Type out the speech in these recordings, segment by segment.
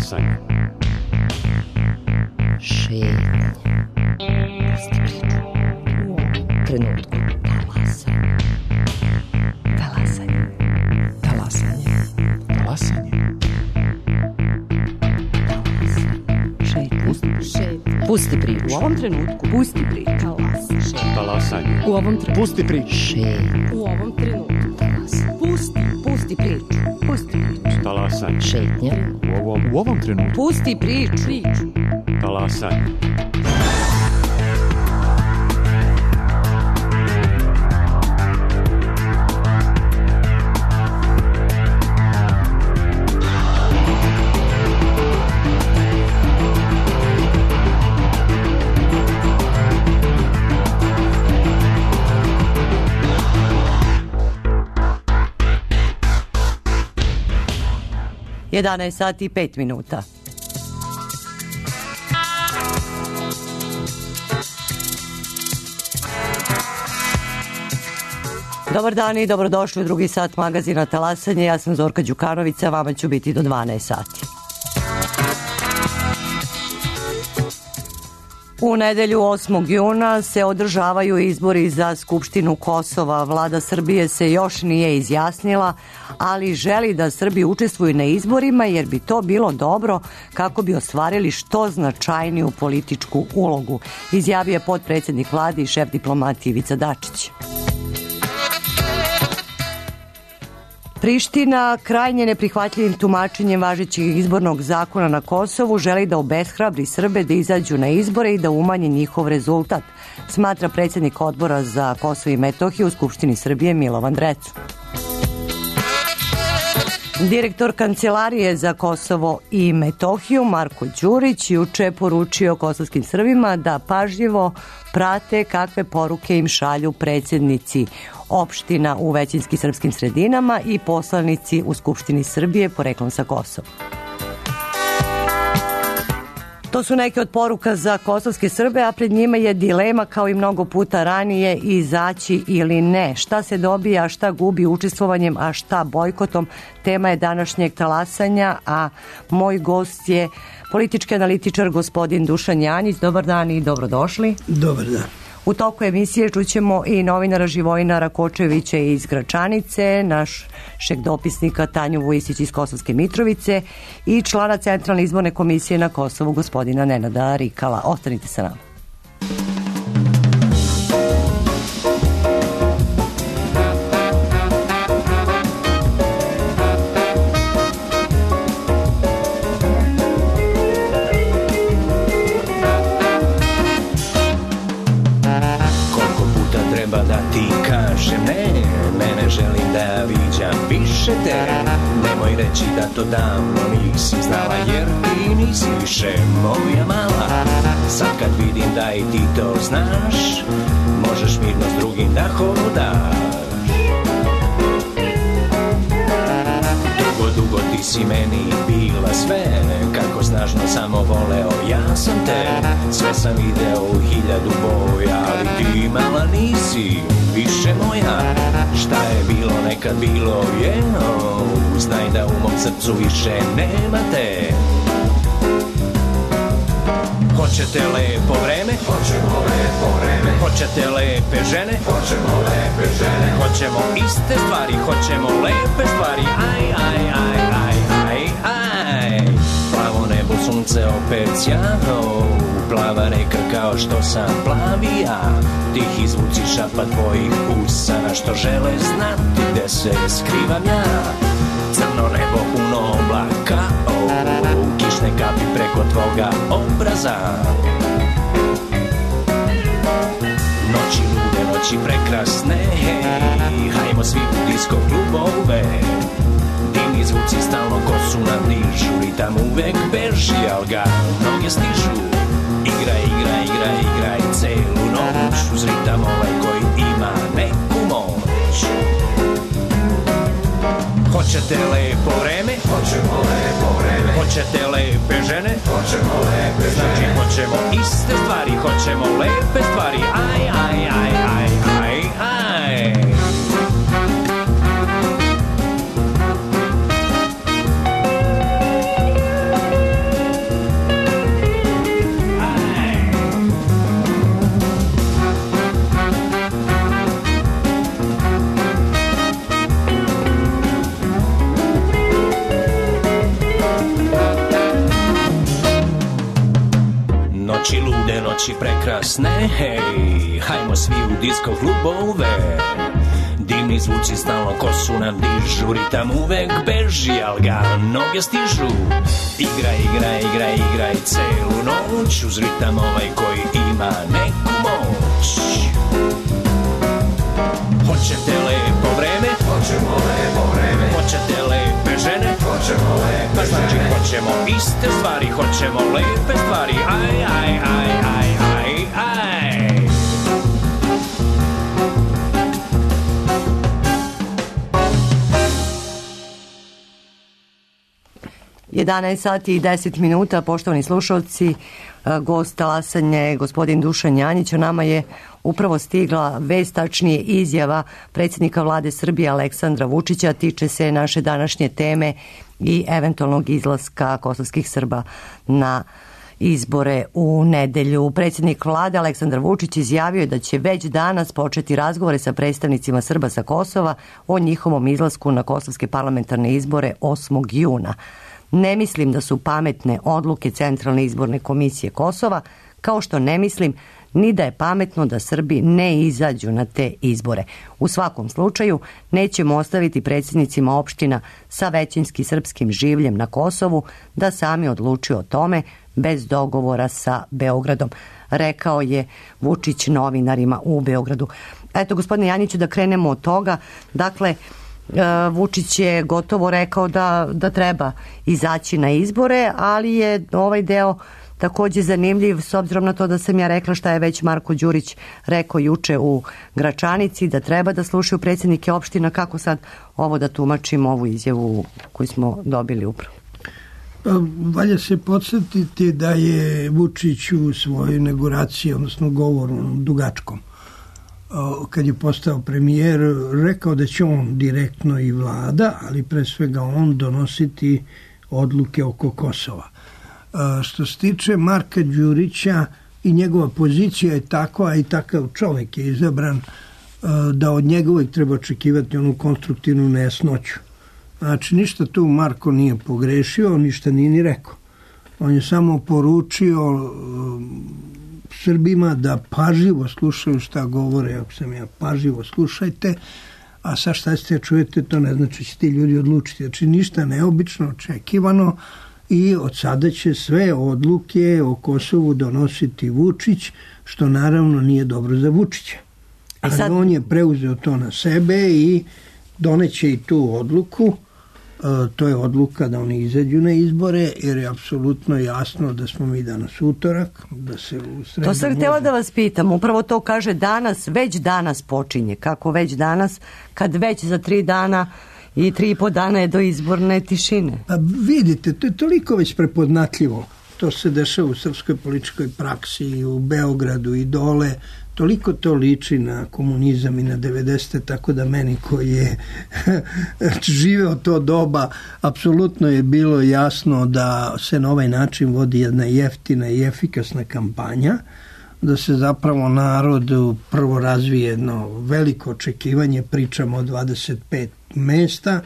Talasanje. Šetnje. Pusti priču. U ovom trenutku. Talasanje. Talasanje. Talasanje. Pusti priču. U ovom trenutku. Pusti priču. Talasanje. U ovom trenutku. Pusti priču. U ovom trenutku. Pusti priču. Pusti priču. Talasanje. Šetnja. U ovom trenutku. Pusti priču. Talasanje. Jedanaest sati i 5 minuta. Dobar dan i dobrodošli u drugi sat magazina Talasanje. Ja sam Zorka Đukanović, a vama ću biti do 12 sati. U nedelju 8. juna se održavaju izbori za Skupštinu Kosova. Vlada Srbije se još nije izjasnila, ali želi da Srbi učestvuju na izborima jer bi to bilo dobro kako bi ostvarili što značajniju političku ulogu, izjavio je potpredsjednik vlade i šef diplomatije Ivica Dačić. Priština krajnje neprihvatljivim tumačenjem važećeg izbornog zakona na Kosovu želi da obeshrabri Srbe da izađu na izbore i da umanji njihov rezultat, smatra predsjednik odbora za Kosovo i Metohiju u Skupštini Srbije Milovan Drecu. Direktor Kancelarije za Kosovo i Metohiju Marko Đurić juče poručio kosovskim Srbima da pažljivo prate kakve poruke im šalju predsjednici opština u većinski srpskim sredinama i poslanici u Skupštini Srbije poreklom sa Kosova. To su neke od poruka za kosovske Srbe, a pred njima je dilema kao i mnogo puta ranije izaći ili ne. Šta se dobija, a šta gubi učestvovanjem, a šta bojkotom. Tema je današnjeg talasanja, a moj gost je politički analitičar gospodin Dušan Janjić. Dobar dan i dobrodošli. Dobar dan. U toku emisije čućemo i novinara Živojina Rakočevića iz Gračanice, našeg dopisnika Tanju Vujisić iz Kosovske Mitrovice i člana Centralne izborne komisije na Kosovu gospodina Nenada Rikala. Ostanite sa nama. Nemoj reći da to davno nisi znala, jer ti nisi više moja mala. Sad kad vidim da i ti to znaš, možeš mirno s drugim da hodaš. Dugo ti si meni bila sve, kako snažno samo voleo ja sam te. Sve sam video u 1000 boja, ali ti mala nisi više moja. Šta je bilo nekad bilo je, znaj da u mom srcu više nema te. Hoćete lepo vreme? Hoćemo lepo vreme. Hoćete lepe žene? Hoćemo lepe žene. Hoćemo iste stvari, hoćemo lepe stvari. Aj, aj, aj, aj, aj, aj. Plavo nebo, sunce opet sjano, plava reka kao što sam plavi ja. Tihi zvuci šapa tvojih usana što žele znati gde se skrivam ja. Crno nebo puno oblaka, kišne kapi preko tvoga obraza. Noći lude, noći prekrasne, hajmo svi u disko klubove. Divni zvuci stalno kosu nam dižu, ritam uvek beži, al ga noge stižu. Igraj, igraj, igraj, igraj celu noć, uz ritam ovaj koji ima neku moć. Hoćete lepo vreme? Hoćemo lepo vreme. Hoćete lepe žene? Hoćemo lepe žene. Znači hoćemo iste stvari, hoćemo lepe stvari. Aj, aj, aj, aj, aj, aj. noći prekrasne, hej, hajmo svi u disko klubove. Divni zvuci stalno kosu nam dižu, ritam uvek beži, al ga noge stižu. Igraj, igraj, igraj, igraj celu noć, uz ritam ovaj koji ima neku moć. Hoćete lepo vreme? Hoćemo lepo vreme. Hoćete lepe žene? Hoćemo lepe žene. Znači hoćemo iste stvari, hoćemo lepe stvari, aj, aj, aj, aj, aj, aj. 11 sati i 10 minuta, poštovani slušalci, gost talasanje gospodin Dušan Janjić. O nama je upravo stigla vest, tačnije izjava predsjednika vlade Srbije Aleksandra Vučića, tiče se naše današnje teme i eventualnog izlaska kosovskih Srba na izbore u nedelju. Predsjednik vlade Aleksandar Vučić izjavio je da će već danas početi razgovore sa predstavnicima Srba sa Kosova o njihovom izlasku na kosovske parlamentarne izbore 8. juna. Ne mislim da su pametne odluke Centralne izborne komisije Kosova, kao što ne mislim ni da je pametno da Srbi ne izađu na te izbore. U svakom slučaju nećemo ostaviti predsjednicima opština sa većinski srpskim življem na Kosovu da sami odlučuju o tome bez dogovora sa Beogradom, rekao je Vučić novinarima u Beogradu. Eto, gospodine Janjiću, da krenemo od toga. Dakle, Vučić je gotovo rekao da treba izaći na izbore, ali je ovaj deo takođe zanimljiv s obzirom na to da sam ja rekla šta je već Marko Đurić rekao juče u Gračanici, da treba da slušaju predsjednike opština. Kako sad ovo da tumačimo, ovu izjavu koju smo dobili upravo? Valja se podsjetiti da je Vučić u svojoj inauguraciji, odnosno govoru dugačkom, kad je postao premijer, rekao da će on direktno i vlada, ali pre svega on donositi odluke oko Kosova. Što se tiče Marka Đurića, i njegova pozicija je takva i takav čovjek je izabran da od njega uvijek treba očekivati onu konstruktivnu nejasnoću. Znači, ništa tu Marko nije pogrešio, ništa nije ni rekao. On je samo poručio Srbima da pažljivo slušaju šta govore, ako sam ja, pažljivo slušajte, a sa šta ćete čujete, to ne znači će ti ljudi odlučiti. Znači, ništa neobično, očekivano, i od sada će sve odluke o Kosovu donositi Vučić, što naravno nije dobro za Vučića. Ali on je preuzeo to na sebe i doneće i tu odluku. To je odluka da oni izađu na izbore, jer je apsolutno jasno da smo mi danas utorak, da se u sredu... To sam htjela da vas pitam, upravo to kaže danas, već danas počinje. Kako već danas, kad već za 3 dana i 3,5 dana je do izborne tišine? A vidite, to je toliko već prepoznatljivo. To se dešava u srpskoj političkoj praksi i u Beogradu i dole. Toliko to liči na komunizam i na 90. tako da meni koji je živeo to doba, apsolutno je bilo jasno da se na ovaj način vodi jedna jeftina i efikasna kampanja, da se zapravo narodu prvo razvije jedno veliko očekivanje, pričamo o 25 mesta,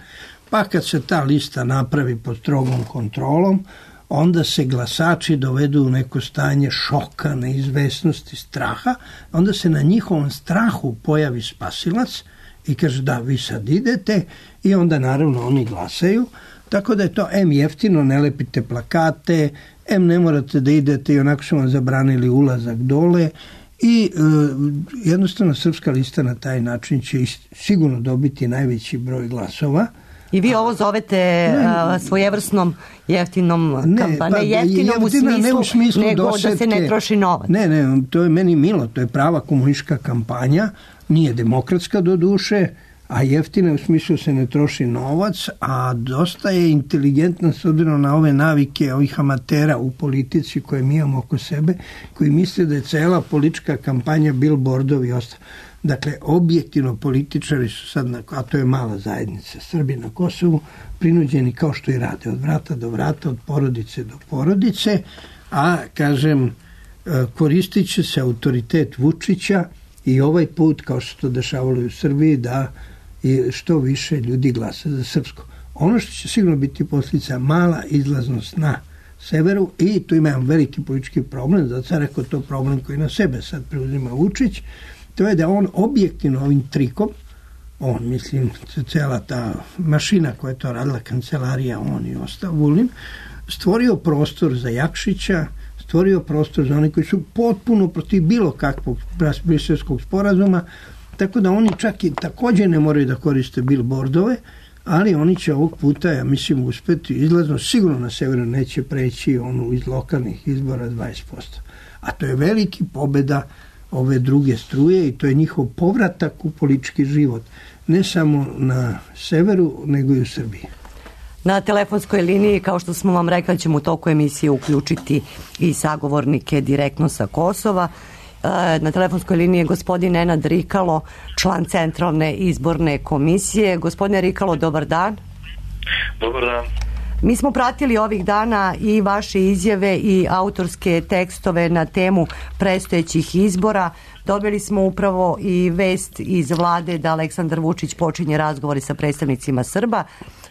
pa kad se ta lista napravi pod strogom kontrolom, onda se glasači dovedu u neko stanje šoka, neizvesnosti, straha, onda se na njihovom strahu pojavi spasilac i kaže da, vi sad idete, i onda naravno oni glasaju, tako da je to em jeftino, ne lepite plakate, em ne morate da idete i onako su vam zabranili ulazak dole, i jednostavno Srpska lista na taj način će sigurno dobiti najveći broj glasova. I vi ovo zovete svojevrsnom jeftinom kampanjom, ne jeftinom u smislu nego dosetke, da se ne troši novac. Ne, to je meni milo, to je prava komunistička kampanja, nije demokratska do duše, a jeftina u smislu se ne troši novac, a dosta je inteligentna s obzirom na ove navike ovih amatera u politici koje mi imamo oko sebe, koji misle da je cela politička kampanja billboardovi i ostalo. Dakle, objektivno političari su sad, a to je mala zajednica Srbi na Kosovu, prinuđeni kao što i rade, od vrata do vrata, od porodice do porodice, a, kažem, koristit će se autoritet Vučića i ovaj put, kao što to dešavalo u Srbiji, da što više ljudi glasa za srpsko. Ono što će sigurno biti posljedica, mala izlaznost na severu i tu ima jedan veliki politički problem, zato sam rekao to problem koji na sebe sad preuzima Vučić, to je da on objektivno ovim trikom, on, mislim, cela ta mašina koja je to radila, kancelarija, on i ostao, Vulin, stvorio prostor za Jakšića, stvorio prostor za one koji su potpuno protiv bilo kakvog briselskog sporazuma, tako da oni čak i također ne moraju da koriste billboardove, ali oni će ovog puta, ja mislim, uspeti izlazno, sigurno na severu neće preći onu iz lokalnih izbora 20%. A to je veliki pobeda ove druge struje i to je njihov povratak u politički život. Ne samo na severu, nego i u Srbiji. Na telefonskoj liniji, kao što smo vam rekli, ćemo u toku emisije uključiti i sagovornike direktno sa Kosova. Na telefonskoj liniji je gospodin Nenad Rikalo, član Centralne izborne komisije. Gospodine Rikalo, dobar dan. Dobar dan. Mi smo pratili ovih dana i vaše izjave i autorske tekstove na temu predstojećih izbora. Dobili smo upravo i vest iz vlade da Aleksandar Vučić počinje razgovore sa predstavnicima Srba.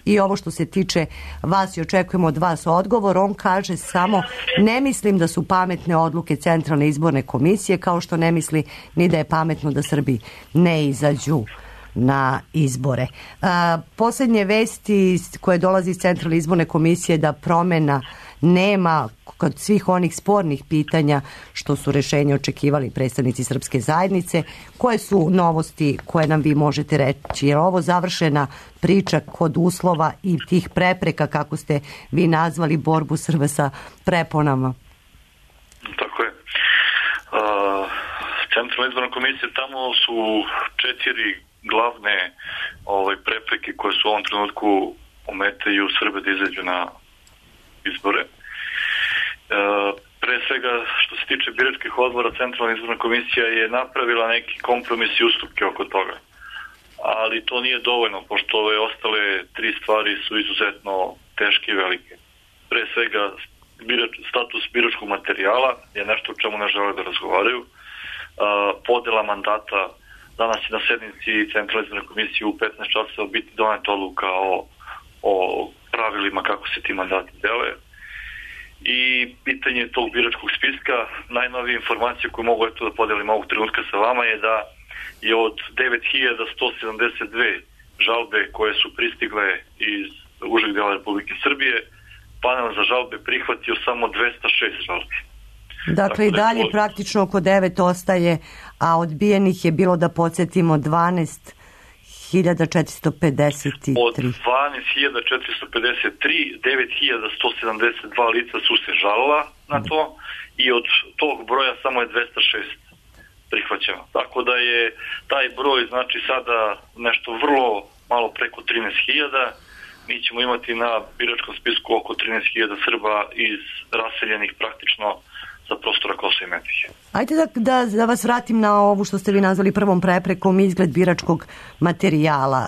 I ovo što se tiče vas i očekujemo od vas odgovor, on kaže samo ne mislim da su pametne odluke Centralne izborne komisije, kao što ne misli ni da je pametno da Srbi ne izađu na izbore. Posljednje vesti koje dolazi iz Centralne izborne komisije da promjena nema kod svih onih spornih pitanja što su rješenje očekivali predstavnici srpske zajednice. Koje su novosti koje nam vi možete reći? Je ovo završena priča kod uslova i tih prepreka, kako ste vi nazvali borbu Srba sa preponama? Tako je. Centralna izborna komisija, tamo su 4 glavne prepreke koje su u ovom trenutku ometaju Srbe da izađu na izbore. Pre svega, što se tiče biračkih odbora, Centralna izborna komisija je napravila neki kompromis i ustupke oko toga. Ali to nije dovoljno, pošto ove ostale 3 stvari su izuzetno teške i velike. Pre svega, status biračkog materijala je nešto o čemu ne žele da razgovaraju. Podela mandata, danas je na sednici Centralne izborne komisije u 15 časova biti doneta odluka o pravilima kako se ti mandati dele. I pitanje tog biračkog spiska, najnovije informacije koje mogu da podelim ovog trenutka sa vama je da je od 9172 žalbe koje su pristigle iz užeg dela Republike Srbije, panel za žalbe prihvatio samo 206 žalbi. Dakle, i dalje praktično oko 9 ostaje, a odbijenih je bilo, da podsjetimo, 12.453. Od 12.453, 9.172 lica su se žalila na to i od tog broja samo je 206 prihvaćeno. Tako da je taj broj, znači, sada nešto vrlo malo preko 13.000. Mi ćemo imati na biračkom spisku oko 13.000 Srba iz raseljenih praktično za prostora Kosova i Metohije. Ajde da vas vratim na ovu što ste vi nazvali prvom preprekom, izgled biračkog materijala.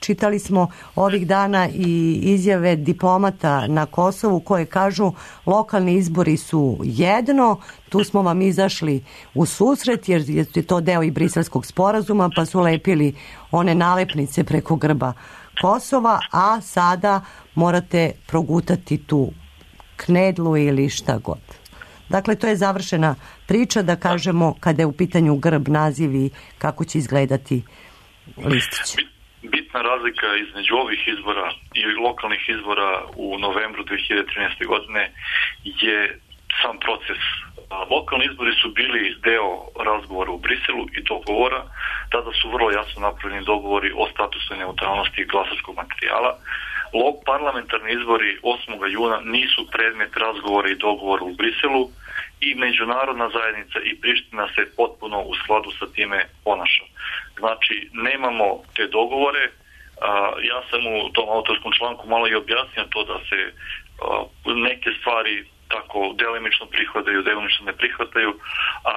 Čitali smo ovih dana i izjave diplomata na Kosovu koje kažu lokalni izbori su jedno, tu smo vam izašli u susret jer je to deo i briselskog sporazuma, pa su lepili one nalepnice preko grba Kosova, a sada morate progutati tu knedlu ili šta god. Dakle, to je završena priča, da kažemo, kada je u pitanju grb, naziv i kako će izgledati listić. Bitna razlika između ovih izbora i lokalnih izbora u novembru 2013. godine je sam proces. Lokalni izbori su bili deo razgovora u Briselu i dogovora. Tada su vrlo jasno napravljeni dogovori o statusnoj neutralnosti glasačkog materijala. Parlamentarni izbori 8. juna nisu predmet razgovora i dogovora u Briselu i međunarodna zajednica i Priština se potpuno u skladu sa time ponaša. Znači, nemamo te dogovore. Ja sam u tom autorskom članku malo i objasnio to da se neke stvari tako delimično prihvataju, delimično ne prihvataju,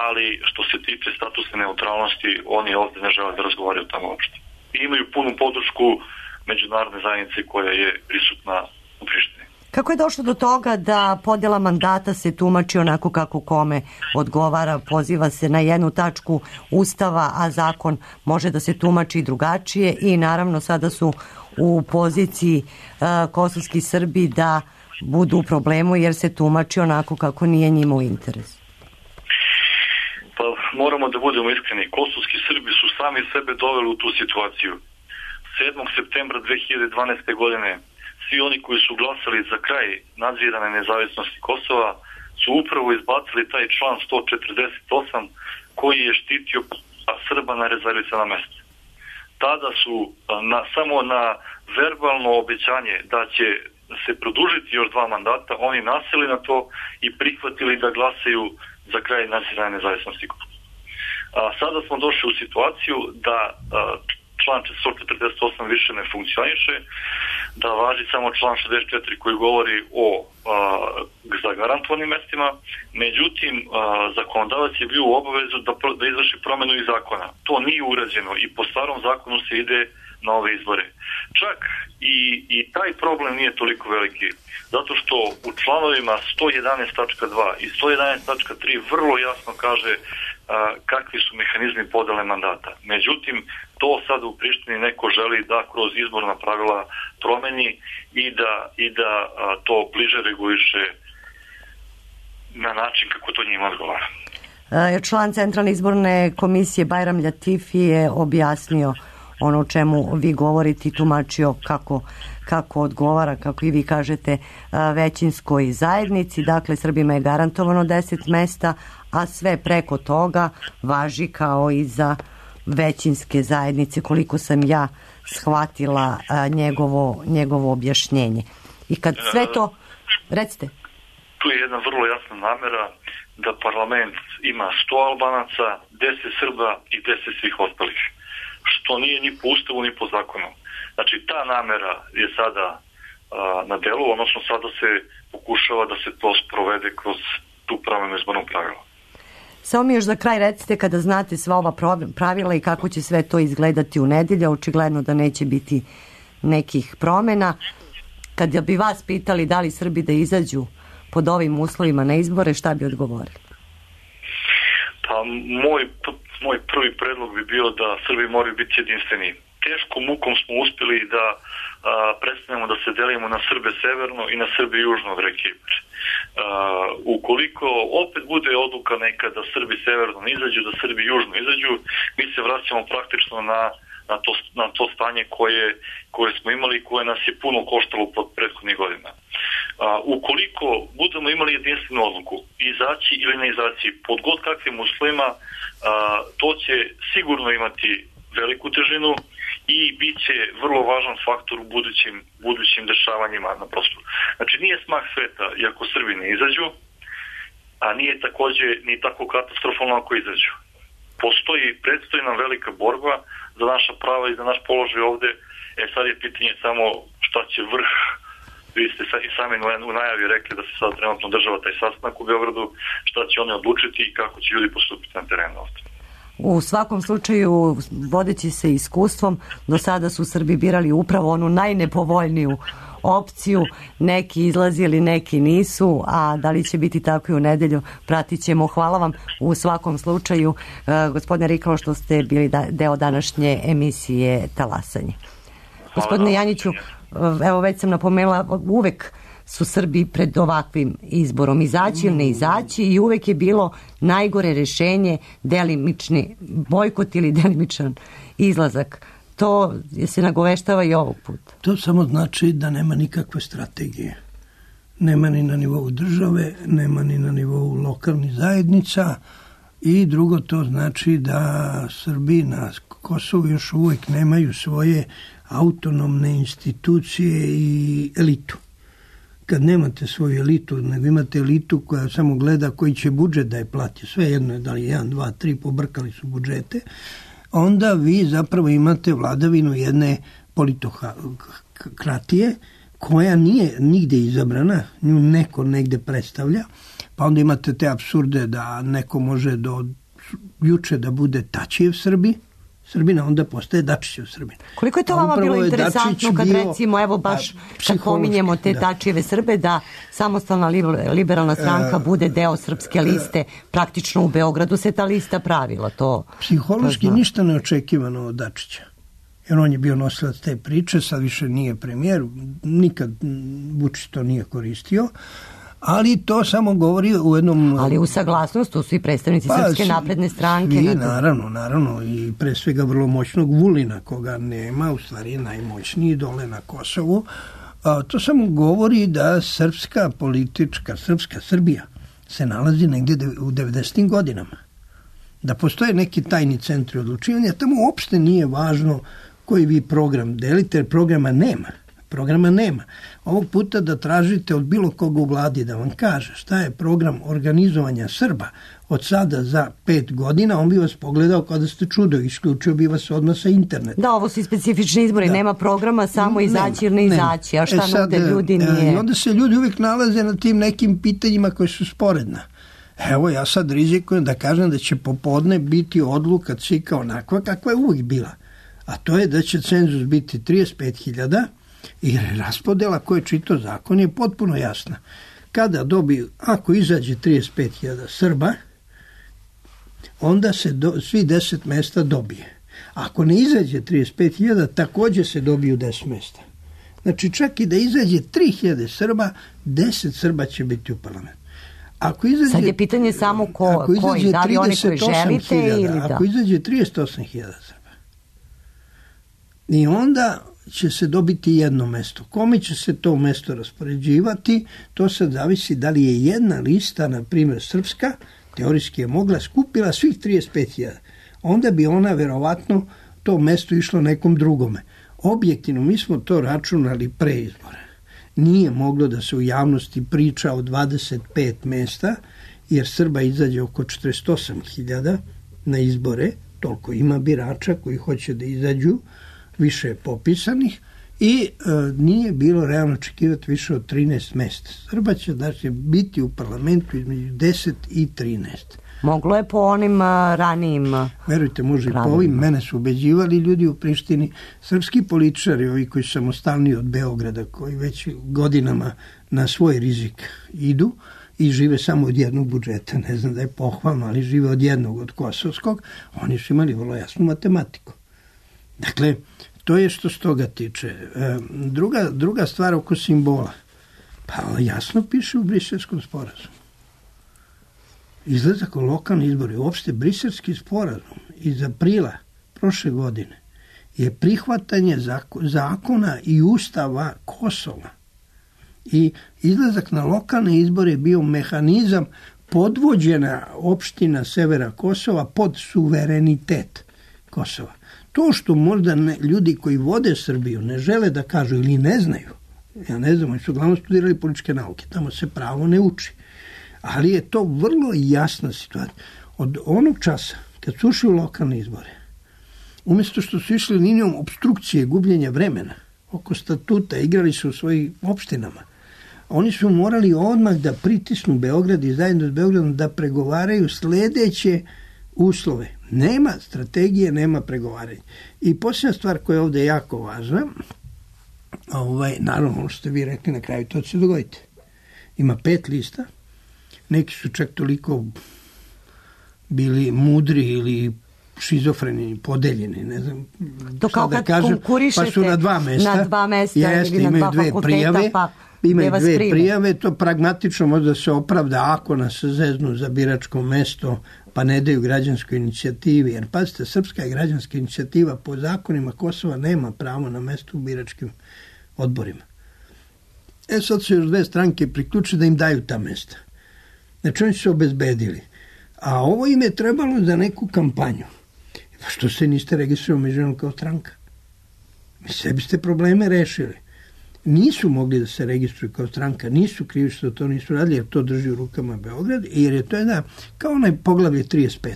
ali što se tiče statusne neutralnosti, oni ovdje ne žele da razgovaraju tamo uopšte. I imaju punu podršku međunarodne zajednice koja je prisutna u Prištini. Kako je došlo do toga da podjela mandata se tumači onako kako kome odgovara, poziva se na jednu tačku Ustava, a zakon može da se tumači drugačije i naravno sada su u poziciji kosovski Srbi da budu u problemu jer se tumači onako kako nije njima u interesu? Pa moramo da budemo iskreni. Kosovski Srbi su sami sebe doveli u tu situaciju. 7. septembra 2012. godine svi oni koji su glasali za kraj nadzirane nezavisnosti Kosova su upravo izbacili taj član 148 koji je štitio Srba na rezervisana mesta. Tada su samo na verbalno obećanje da će se produžiti još 2 mandata, oni naseli na to i prihvatili da glasaju za kraj nadzirane nezavisnosti Kosova. Sada smo došli u situaciju da član 148 više ne funkcioniše, da važi samo član 64 koji govori o zagarantovanim mestima. Međutim, zakonodavac je bio u obavezu da izvrši promenu iz zakona. To nije urađeno i po starom zakonu se ide na ove izbore. Čak i taj problem nije toliko veliki, zato što u članovima 111.2 i 111.3 vrlo jasno kaže kakvi su mehanizmi podele mandata. Međutim, to sad u Prištini neko želi da kroz izborna pravila promeni i da to bliže reguliše na način kako to njima odgovara. Član Centralne izborne komisije Bajram Ljatifi je objasnio ono o čemu vi govorite i tumačio kako odgovara, kako i vi kažete, većinskoj zajednici. Dakle, Srbima je garantovano 10 mesta, a sve preko toga važi kao i za većinske zajednice, koliko sam ja shvatila njegovo objašnjenje. I kad sve to... Recite. Tu je jedna vrlo jasna namera da parlament ima 100 Albanaca, 10 Srba i 10 svih ostalih, što nije ni po ustavu ni po zakonu. Znači, ta namera je sada na delu, odnosno sada se pokušava da se to sprovede kroz tu promenu izbornog pravila. Samo mi još za kraj recite, kada znate sva ova pravila i kako će sve to izgledati u nedelju, očigledno da neće biti nekih promjena. Kada bi vas pitali da li Srbi da izađu pod ovim uslovima na izbore, šta bi odgovorili? Pa moj prvi predlog bi bio da Srbi moraju biti jedinstveni. Teškom mukom smo uspjeli da prestanemo da se delimo na Srbe severno i na Srbe južno od reke Ibar. Ukoliko opet bude odluka neka da Srbi severno ne izađu, da Srbi južno izađu, mi se vraćamo praktično na to stanje koje smo imali i koje nas je puno koštalo pod prethodnih godina. Ukoliko budemo imali jedinstvenu odluku, izaći ili ne izaći, pod god kakvim uslovima, to će sigurno imati veliku težinu i bit će vrlo važan faktor u budućim dešavanjima na prostoru. Znači, nije smak sveta i ako Srbi ne izađu, a nije takođe ni tako katastrofalno ako izađu. Predstoji nam velika borba za naša prava i za naš položaj ovde. Sad je pitanje samo šta će vrh. Vi ste i sami u najavi rekli da se sad trenutno država taj sastanak u Beogradu, šta će oni odlučiti i kako će ljudi postupiti na terenu ovde. U svakom slučaju, vodeći se iskustvom, do sada su Srbi birali upravo onu najnepovoljniju opciju, neki izlazili, neki nisu, a da li će biti tako i u nedelju, pratit ćemo. Hvala vam u svakom slučaju, gospodine Rikalo, što ste bili deo današnje emisije Talasanje. Gospodine Janjiću, evo već sam napomenula, uvek su Srbi pred ovakvim izborom, izaći ili ne izaći, i uvek je bilo najgore rešenje delimični bojkot ili delimičan izlazak. To se nagoveštava i ovog puta. To samo znači da nema nikakve strategije. Nema ni na nivou države, nema ni na nivou lokalnih zajednica, i drugo, to znači da Srbi na Kosovu još uvijek nemaju svoje autonomne institucije i elitu. Kad nemate svoju elitu, nego imate elitu koja samo gleda koji će budžet da je plati, sve jedno je da li 1, 2, 3, pobrkali su budžete, onda vi zapravo imate vladavinu jedne politokratije koja nije nigde izabrana, nju neko negde predstavlja, pa onda imate te apsurde da neko može do juče da bude Tačijev Srbina, onda postaje Dačićev Srbin. Koliko je to vama bilo interesantno kad recimo, evo baš kad pominjemo te Tačijeve Srbe, da samostalna liberalna stranka bude deo srpske liste, praktično u Beogradu se ta lista pravila. To psihološki ništa neočekivano od Dačića. jer on je bio nosilac te priče, sad više nije premijer, nikad Vučić to nije koristio, ali to samo govori u jednom... Ali u saglasnost, tu su i predstavnici Srpske napredne stranke. I naravno, i pre svega vrlo moćnog Vulina, koga nema, u stvari najmoćniji dole na Kosovu. To samo govori da srpska Srbija se nalazi negdje u 90. godinama. Da postoje neki tajni centri odlučivanja, tamo uopšte nije važno koji vi program delite, jer programa nema. Ovog puta da tražite od bilo koga u vladi da vam kaže šta je program organizovanja Srba od sada za 5 godina, on bi vas pogledao kao da ste čudo, isključio bi vas odmah sa interneta. Da, ovo su specifični izbori, nema programa, samo izaći ili ne izaći, a šta nude ljudi nije... I onda se ljudi uvijek nalaze na tim nekim pitanjima koje su sporedna. Evo, ja sad rizikujem da kažem da će popodne biti odluka CIK-a onakva kakva je uvijek bila. A to je da će cenzus biti 35.000 i raspodela koje čito zakon je potpuno jasna. Ako izađe 35.000 Srba, onda se svi 10 mesta dobije. Ako ne izađe 35.000, također se dobiju 10 mesta. Znači čak i da izađe 3.000 Srba, 10 Srba će biti u parlamentu. Sad je pitanje samo koji, da li oni koji želite ili da? Ako izađe 38.000 Srba, i onda će se dobiti jedno mesto. Kome će se to mesto raspoređivati, to sad zavisi da li je jedna lista, na primjer srpska, teorijski je mogla, skupila svih 35.000. Onda bi ona verovatno to mesto išlo nekom drugome. Objektivno, mi smo to računali pre izbora. Nije moglo da se u javnosti priča o 25 mesta, jer Srba izađe oko 48.000 na izbore, toliko ima birača koji hoće da izađu, više je popisanih, i nije bilo realno očekivati više od 13 mesta. Srba će biti u parlamentu između 10 i 13. Moglo je po onim ranijim... Verujte, može i po ovim. Mene su ubeđivali ljudi u Prištini, srpski političari, ovi koji su samostalni od Beograda, koji već godinama na svoj rizik idu i žive samo od jednog budžeta, ne znam da je pohvalno, ali žive od jednog, od kosovskog, oni su imali vrlo jasnu matematiku. Dakle, to je što s toga tiče. Druga stvar oko simbola. Pa jasno piše u Briselskom sporazumu. Izlazak u lokalni izbori, uopšte Briselski sporazum iz aprila prošle godine je prihvatanje zakona i ustava Kosova. I izlazak na lokalne izbore je bio mehanizam podvođena opština severa Kosova pod suverenitet Kosova. To što možda ljudi koji vode Srbiju ne žele da kažu ili ne znaju, ja ne znam, oni su uglavnom studirali političke nauke, tamo se pravo ne uči. Ali je to vrlo jasna situacija. Od onog časa, kad su ušli u lokalne izbore, umjesto što su išli linijom obstrukcije, gubljenja vremena, oko statuta, igrali su u svojim opštinama, oni su morali odmah da pritisnu Beograd i zajedno s Beogradom da pregovaraju sljedeće uslove. Nema strategije, nema pregovaranja. I posljedna stvar koja je ovdje jako važna, naravno, ono što ste vi rekli na kraju, to će se dogoditi. Ima 5 lista, neki su čak toliko bili mudri ili šizofreni, podeljeni, ne znam to šta da kažem, pa su na 2 mesta. Na 2 mesta jeste, ili na 2 fakulteta, imaju 2 prijave, to pragmatično možda se opravda ako nas zeznu za biračko mesto, pa ne daju građanskoj inicijativi, jer pazite, srpska građanska inicijativa po zakonima Kosova nema pravo na mesto u biračkim odborima. Sad su još 2 stranke priključili da im daju ta mesta. Znači oni su se obezbedili. A ovo im je trebalo za neku kampanju. Pa što se niste registrovali međunarodno kao stranka? Sebi ste probleme rešili. Nisu mogli da se registruju kao stranka, nisu krivi što to nisu radili, jer to drži u rukama Beograd, jer je to jedna, kao onaj poglavlje 35.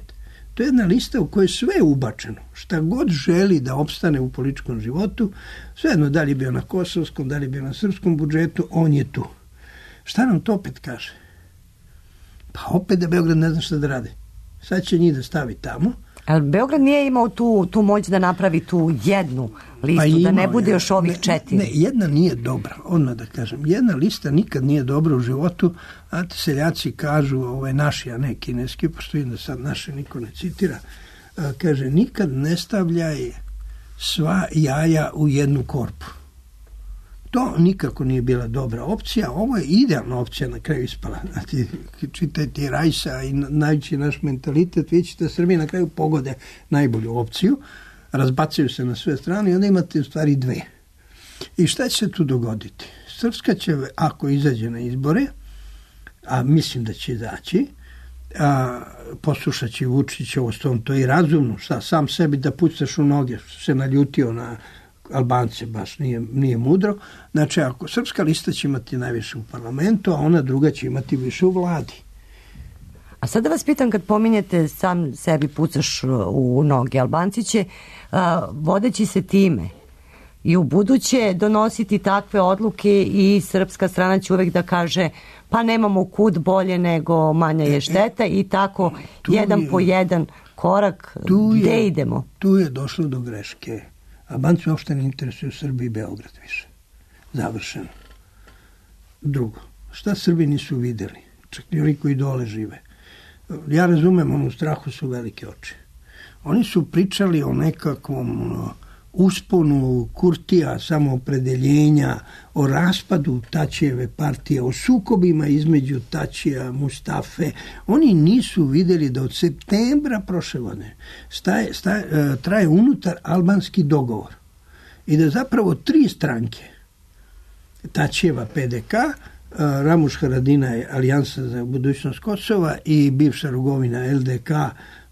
To je jedna lista u kojoj je sve ubačeno. Šta god želi da opstane u političkom životu, svejedno da li je bio na kosovskom, da li je bio na srpskom budžetu, on je tu. Šta nam to opet kaže? Pa opet da Beograd ne zna šta da radi. Sad će njih da stavi tamo. Ali Beograd nije imao tu moć da napravi tu jednu listu, da ne bude još ovih 4. Ne, jedna nije dobra, odmah da kažem. Jedna lista nikad nije dobra u životu, a seljaci kažu, naši, a ne kineski, pošto vidim da sad naše niko ne citira, kaže, nikad ne stavljaj sva jaja u jednu korpu. To nikako nije bila dobra opcija. Ovo je idealna opcija na kraju ispala. Znači, čitajte Rajsa i najveći naš mentalitet, vi ćete Srbiji na kraju pogode najbolju opciju, razbacaju se na sve strane i onda imate u stvari dve. I šta će se tu dogoditi? Srpska će, ako izađe na izbore, a mislim da će izaći, poslušat će Vučića, to je i razumno, sam sebi da pucaš u noge, se naljutio na Albance, baš nije mudro. Znači, ako srpska lista će imati najviše u parlamentu, a ona druga će imati više u vladi. A sad da vas pitam, kad pominjete sam sebi pucaš u noge, Albanci će, vodeći se time, i u buduće donositi takve odluke i srpska strana će uvek da kaže pa nemamo kud, bolje nego manja je šteta i tako jedan po jedan korak gde idemo. Tu je došlo do greške. Albanci uopšte ne interesuju Srbiji i Beograd više. Završeno. Drugo, šta Srbi nisu videli? Čak i oni koji dole žive. Ja razumem, u strahu su velike oči. Oni su pričali o nekakvom usponu Kurtija, samoopredeljenja, o raspadu Tačijeve partije, o sukobima između Tačija, Mustafe. Oni nisu vidjeli da od septembra prošle godine traje unutar albanski dogovor i da zapravo tri stranke, Tačijeva PDK, Ramuš Haradinaj, Alijansa za budućnost Kosova i bivša Rugovina LDK,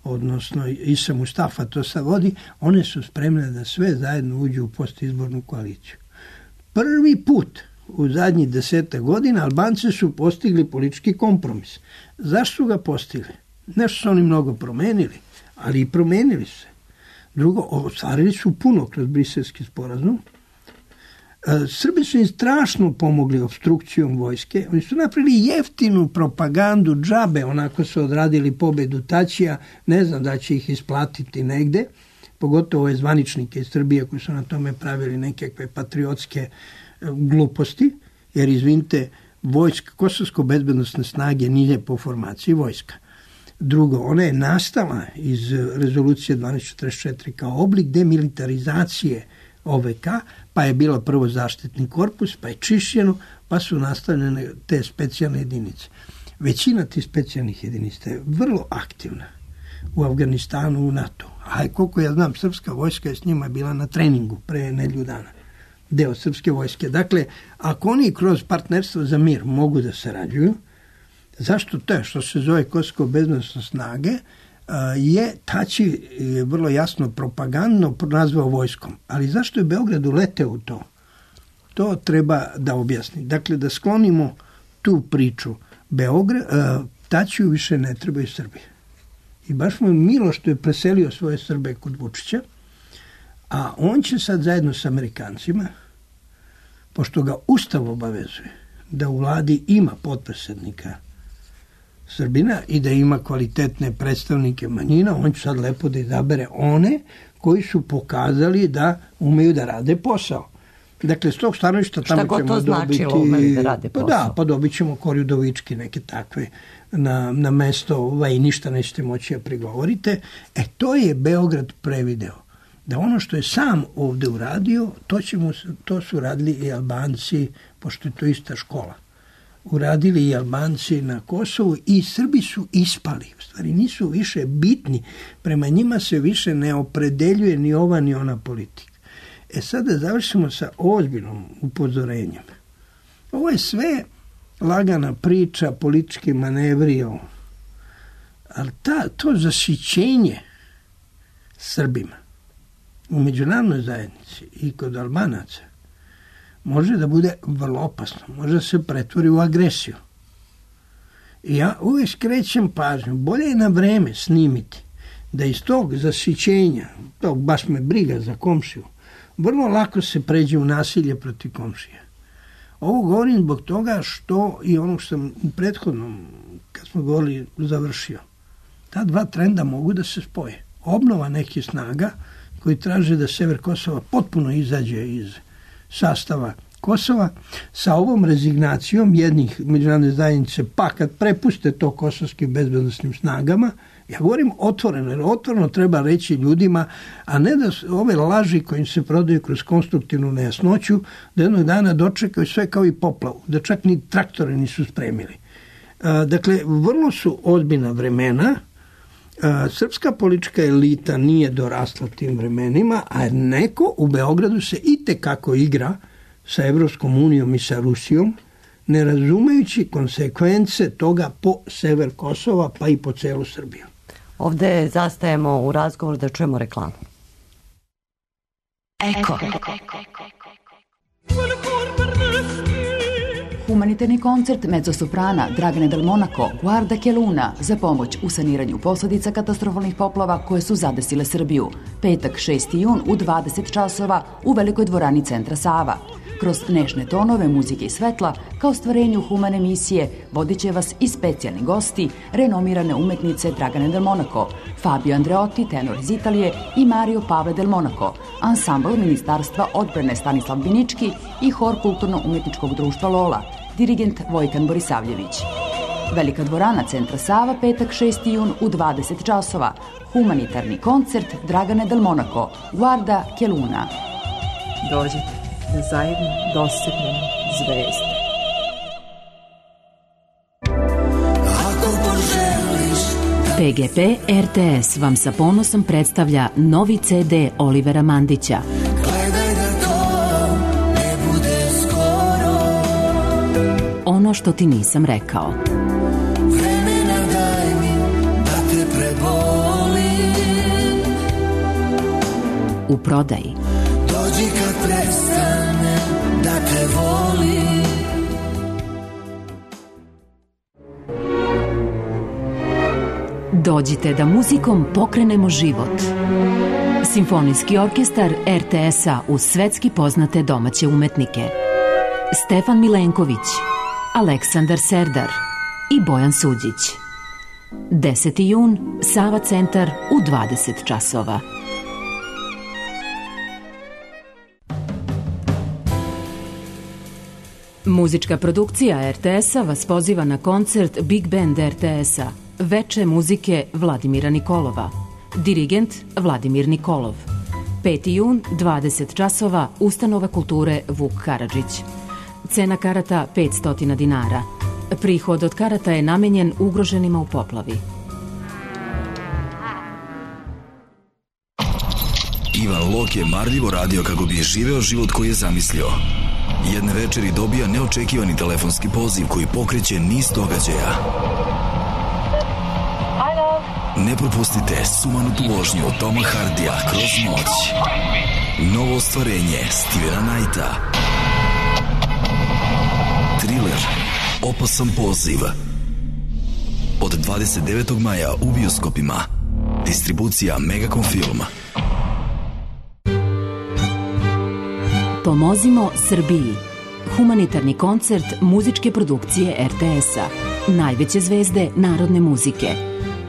odnosno Isa Mustafa to sad vodi, one su spremne da sve zajedno uđu u postizbornu koaliciju. Prvi put u zadnjih 10 godina Albanci su postigli politički kompromis. Zašto su ga postigli? Nešto su oni mnogo promenili, ali i promenili se. Drugo, ostvarili su puno kroz Briselski sporazum. Srbi su im strašno pomogli opstrukcijom vojske. Oni su napravili jeftinu propagandu džabe, onako su odradili pobedu Tačija. Ne znam da će ih isplatiti negde, pogotovo ove zvaničnike iz Srbije koji su na tome pravili nekakve patriotske gluposti, jer izvinite, vojska, kosovsko-bezbednosne snage nije po formaciji vojska. Drugo, ona je nastala iz rezolucije 1244 kao oblik demilitarizacije OVK, pa je bila prvo zaštitni korpus, pa je čišćeno, pa su nastavljene te specijalne jedinice. Većina tih specijalnih jedinica je vrlo aktivna u Afganistanu, u NATO. A koliko ja znam, srpska vojska je s njima bila na treningu pre nedelju dana. Deo srpske vojske. Dakle, ako oni kroz partnerstvo za mir mogu da sarađuju, zašto to je što se zove Kosovo-bezbednosne snage, je Tači vrlo jasno propagandno nazvao vojskom. Ali zašto je Beograd uleteo u to? To treba da objasni. Dakle, da sklonimo tu priču. Tačiju više ne trebaju Srbi. I baš mu je milo što je preselio svoje Srbe kod Vučića, a on će sad zajedno s Amerikancima, pošto ga Ustav obavezuje da u vladi ima potpredsednika Srbina i da ima kvalitetne predstavnike manjina, on će sad lepo da izabere one koji su pokazali da umeju da rade posao. Dakle, s tog stanovišta tamo ćemo dobiti... Šta god to značilo, umeju da rade posao? Pa dobit ćemo Korjudovički, neke takve na mesto, i ništa nećete moći da prigovorite. To je Beograd prevideo. Da ono što je sam ovde uradio, to su radili i Albanci, pošto je to ista škola. Uradili i Albanci na Kosovu i Srbi su ispali. U stvari nisu više bitni. Prema njima se više ne opredeljuje ni ova ni ona politika. Sada završimo sa ozbiljnom upozorenjem. Ovo je sve lagana priča, politički manevri, ali to zasićenje Srbima u međunarodnoj zajednici i kod Albanaca može da bude vrlo opasno. Može da se pretvori u agresiju. I ja uvijek skrećem pažnju. Bolje je na vreme snimiti da iz tog zasićenja, tog baš me briga za komšiju, vrlo lako se pređe u nasilje protiv komšije. Ovo govorim zbog toga što i ono što sam u prethodnom, kad smo govorili, završio. Ta dva trenda mogu da se spoje. Obnova nekih snaga koji traže da sever Kosova potpuno izađe iz sastava Kosova sa ovom rezignacijom jednih međunarodne zajednice, pa kad prepuste to kosovskim bezbednosnim snagama, Ja govorim otvoreno, jer otvoreno treba reći ljudima, a ne da ove laži koje se prodaju kroz konstruktivnu nejasnoću, da jednog dana dočekaju sve kao i poplavu, da čak ni traktore nisu spremili. Dakle, vrlo su ozbiljna vremena. Srpska politička elita nije dorasla tim vremenima, a neko u Beogradu se itekako igra sa Evropskom unijom i sa Rusijom, ne razumejući konsekvence toga po sever Kosova, pa i po celu Srbiju. Ovde zastajemo u razgovor da čujemo reklamu. Eko. Humanitarni koncert mezzosoprana Dragane Del Monaco Guarda che Luna za pomoć u saniranju posledica katastrofalnih poplava koje su zadesile Srbiju. Petak 6. jun u 20 časova u Velikoj dvorani Centra Sava. Kroz nešne tonove muzike i svetla, kao stvarenju humane misije, vodit će vas i specijalni gosti, renomirane umetnice Dragane Del Monaco, Fabio Andreotti, tenor iz Italije i Mario Pavle Del Monaco, ansambl Ministarstva odbrane Stanislav Binički i hor Kulturno-umetničkog društva Lola, dirigent Vojkan Borisavljević. Velika dvorana Centra Sava, petak 6. jun u 20 časova. Humanitarni koncert Dragane Del Monaco, Guarda che Luna. Dođite da zajedno dosegnemo zvezde. PGP RTS vam sa ponosom predstavlja novi CD Olivera Mandića. Gledaj da to ne bude skoro. Ono što ti nisam rekao. Vremena daj mi da te prebolim. U prodaji. Dođi kad prestane da te volim. Dođite da muzikom pokrenemo život. Simfonijski orkestar RTS-a uz svetski poznate domaće umetnike. Stefan Milenković, Aleksandar Serdar i Bojan Suđić. 10. jun, Sava centar u 20 časova. Muzička produkcija RTS-a vas poziva na koncert Big Band RTS-a Veče muzike Vladimira Nikolova. Dirigent Vladimir Nikolov. 5. jun, 20 časova, Ustanova kulture Vuk Karadžić. Cena karata 500 dinara. Prihod od karata je namenjen ugroženima u poplavi. Ivan Lok je marljivo radio kako bi živeo život koji je zamislio. Jedne večeri dobija neočekivani telefonski poziv koji pokreće niz događaja. Ne propustite sumanutu vožnju Toma Hardija Kroz noć. Novo ostvarenje Stevena Knighta. Thriller Opasan poziv. Od 29. maja u bioskopima. Distribucija Megacom Film. Pomozimo Srbiji. Humanitarni koncert muzičke produkcije RTS-a. Najveće zvezde narodne muzike.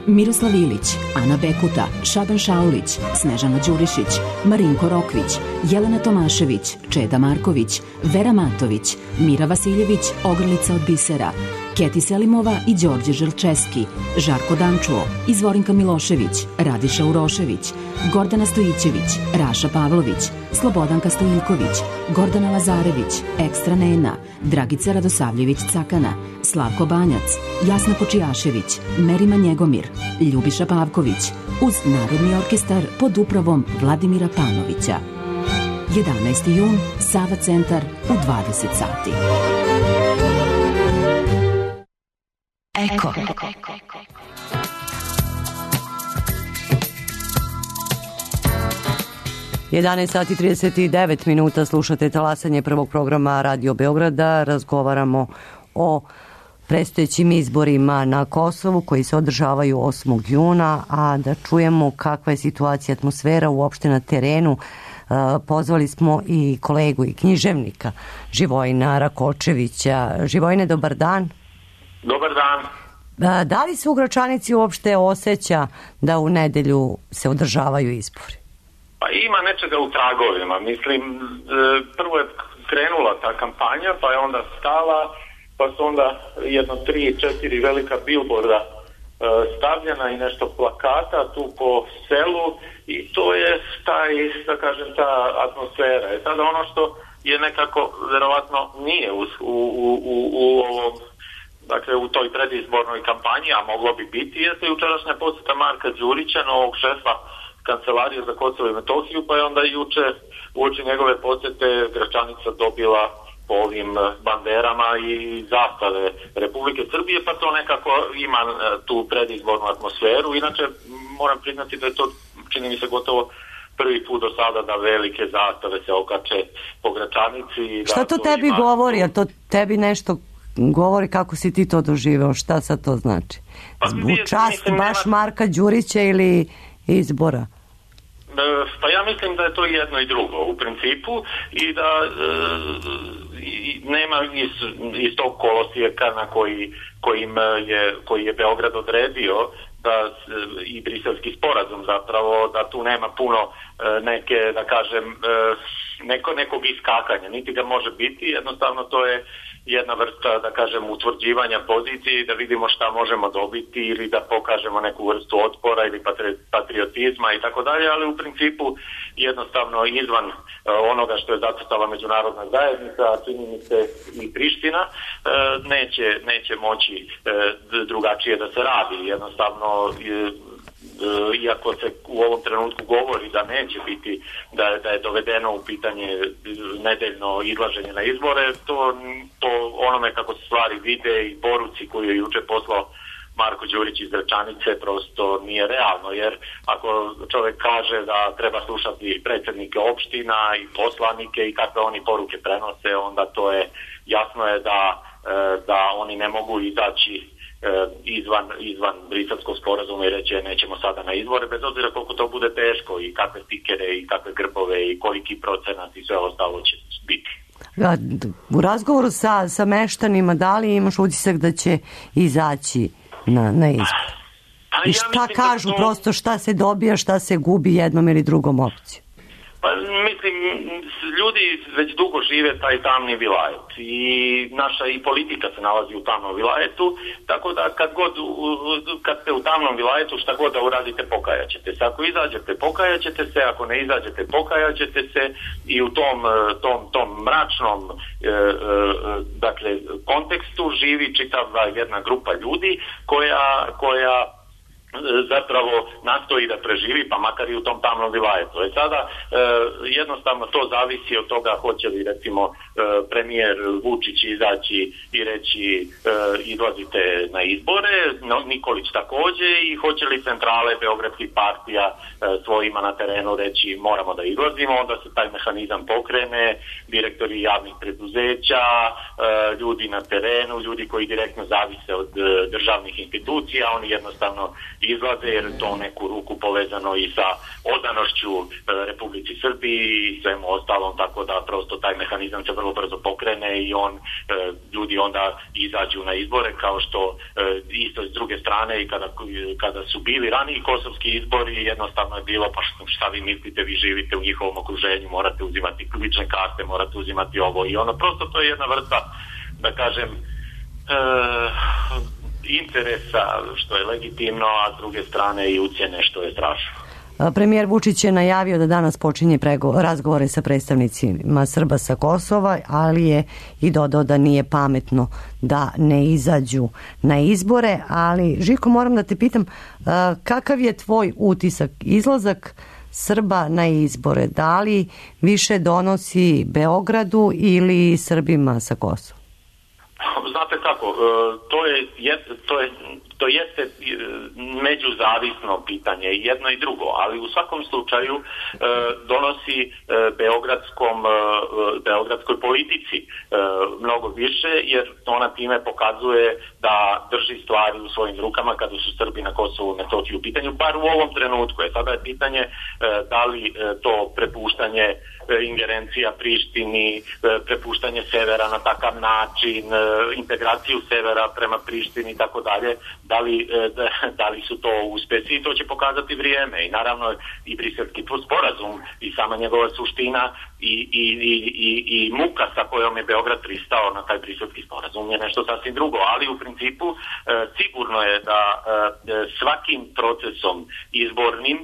Miroslav Ilić, Ana Bekuta, Šaban Šaulić, Snežana Đurišić, Marinko Rokvić, Jelena Tomašević, Čeda Marković, Vera Matović, Mira Vasiljević, Ogrlica od bisera, Keti Selimova i Đorđe Želčeski, Žarko Dančuo, Izvorinka Milošević, Radiša Urošević, Gordana Stojićević, Raša Pavlović, Slobodanka Stojiljković, Gordana Lazarević, Ekstra Nena, Dragica Radosavljević Cakana, Slavko Banjac, Jasna Kočijašević, Merima Njegomir, Ljubiša Pavković, uz Narodni orkestar pod upravom Vladimira Panovića. 11. jun, Sava centar u 20 sati. Eko. Sati 39 minuta, slušate talasanje prvog programa Radio Beograda. Razgovaramo o predstojećim izborima na Kosovu koji se održavaju 8. juna, a da čujemo kakva je situacija, atmosfera uopšte na terenu. Pozvali smo i kolegu i književnika Živojina Rakočevića. Živojine, dobar dan. Dobar dan. Da li se u Gračanici uopšte osjeća da u nedelju se održavaju izbori? Pa ima nečega u tragovima. Mislim, prvo je krenula ta kampanja, pa je onda stala, pa su onda jedno 3-4 velika billboarda stavljena i nešto plakata tu po selu i to je da kažem, ta atmosfera. Je sada ono što je nekako verovatno nije u ovom, dakle u toj predizbornoj kampanji, a moglo bi biti, jeste jučerašnja posjeta Marka Đurića, novog šefa Kancelarije za Kosovo i Metohiju, pa je onda juče uoči njegove posjete Gračanica dobila po ovim banderama i zastave Republike Srbije, pa to nekako ima tu predizbornu atmosferu. Inače, moram priznati da je to, čini mi se, gotovo prvi put do sada da velike zastave se okače po Gračanici. Šta to tebi govori? A to tebi nešto govori kako si ti to doživeo? Šta sad to znači? U čast baš Marka Đurića ili izbora? Pa ja mislim da je to jedno i drugo u principu i da nema iz tog kolosijeka na koji je Beograd odredio da i briselski sporazum zapravo, da tu nema puno neke, da kažem, nekog iskakanja, niti ga može biti, jednostavno to je jedna vrsta, da kažem, utvrđivanja pozicije i da vidimo šta možemo dobiti ili da pokažemo neku vrstu otpora ili patriotizma i tako dalje, ali u principu jednostavno izvan onoga što je zacrtala međunarodna zajednica, a čini mi se i Priština, neće moći drugačije da se radi. Jednostavno, iako se u ovom trenutku govori da neće biti, da je dovedeno u pitanje nedeljno izlaženje na izbore, to onome kako se stvari vide i poruci koju je juče poslao Marko Đurić iz Gračanice prosto nije realno, jer ako čovjek kaže da treba slušati predsjednike opština i poslanike i kakve oni poruke prenose, onda to je jasno je da oni ne mogu izaći izvan briselskog sporazuma i reći nećemo sada na izbore, bez obzira koliko to bude teško i kakve stikere i kakve grbove i koliki procenat i sve ostalo će biti. U razgovoru sa meštanima, da li imaš utisak da će izaći na izbor? I šta kažu, prosto šta se dobija, šta se gubi jednom ili drugom opcijom? Pa mislim, ljudi već dugo žive taj tamni vilajet i naša i politika se nalazi u tamnom vilajetu, tako da kad ste u tamnom vilajetu šta god da uradite pokajaćete se. Ako izađete pokajaćete se, ako ne izađete pokajaćete se i u tom mračnom dakle kontekstu živi čitava jedna grupa ljudi koja zapravo nastoji da preživi, pa makar i u tom tamnom vilajetu. Sada jednostavno to zavisi od toga hoće li recimo premijer Vučić izaći i reći izlazite na izbore, Nikolić takođe, i hoće li centrale beogradskih partija svojima na terenu reći moramo da izlazimo, onda se taj mehanizam pokrene, direktori javnih preduzeća, ljudi na terenu, ljudi koji direktno zavise od državnih institucija, oni jednostavno izlaze jer je to neku ruku povezano i sa odanošću Republici Srbiji i svemu ostalom, tako da prosto taj mehanizam se vrlo brzo pokrene i ljudi onda izađu na izbore, kao što isto s druge strane i kada su bili raniji kosovski izbori, jednostavno je bilo pa šta vi mislite, vi živite u njihovom okruženju, morate uzimati lične karte, morate uzimati ovo i ono, prosto to je jedna vrsta, da kažem, interesa što je legitimno, a s druge strane i ucjene što je strašno. Premijer Vučić je najavio da danas počinje razgovore sa predstavnicima Srba sa Kosova, ali je i dodao da nije pametno da ne izađu na izbore. Ali, Žiko, moram da te pitam, kakav je tvoj utisak? Izlazak Srba na izbore, da li više donosi Beogradu ili Srbima sa Kosova? Znate kako, to jeste međuzavisno pitanje, jedno i drugo, ali u svakom slučaju donosi beogradskoj politici mnogo više, jer ona time pokazuje da drži stvari u svojim rukama kada su Srbi na Kosovu i Metohiji u pitanju, bar u ovom trenutku. Sada je pitanje da li to prepuštanje ingerencija Prištini, prepuštanje severa na takav način, integraciju severa prema Prištini i tako dalje, da li su to uspesi, i to će pokazati vrijeme. I naravno i briselski sporazum i sama njegova suština i muka sa kojom je Beograd pristao na taj Briselski sporazum je nešto sasvim drugo, ali u principu sigurno je da svakim procesom izbornim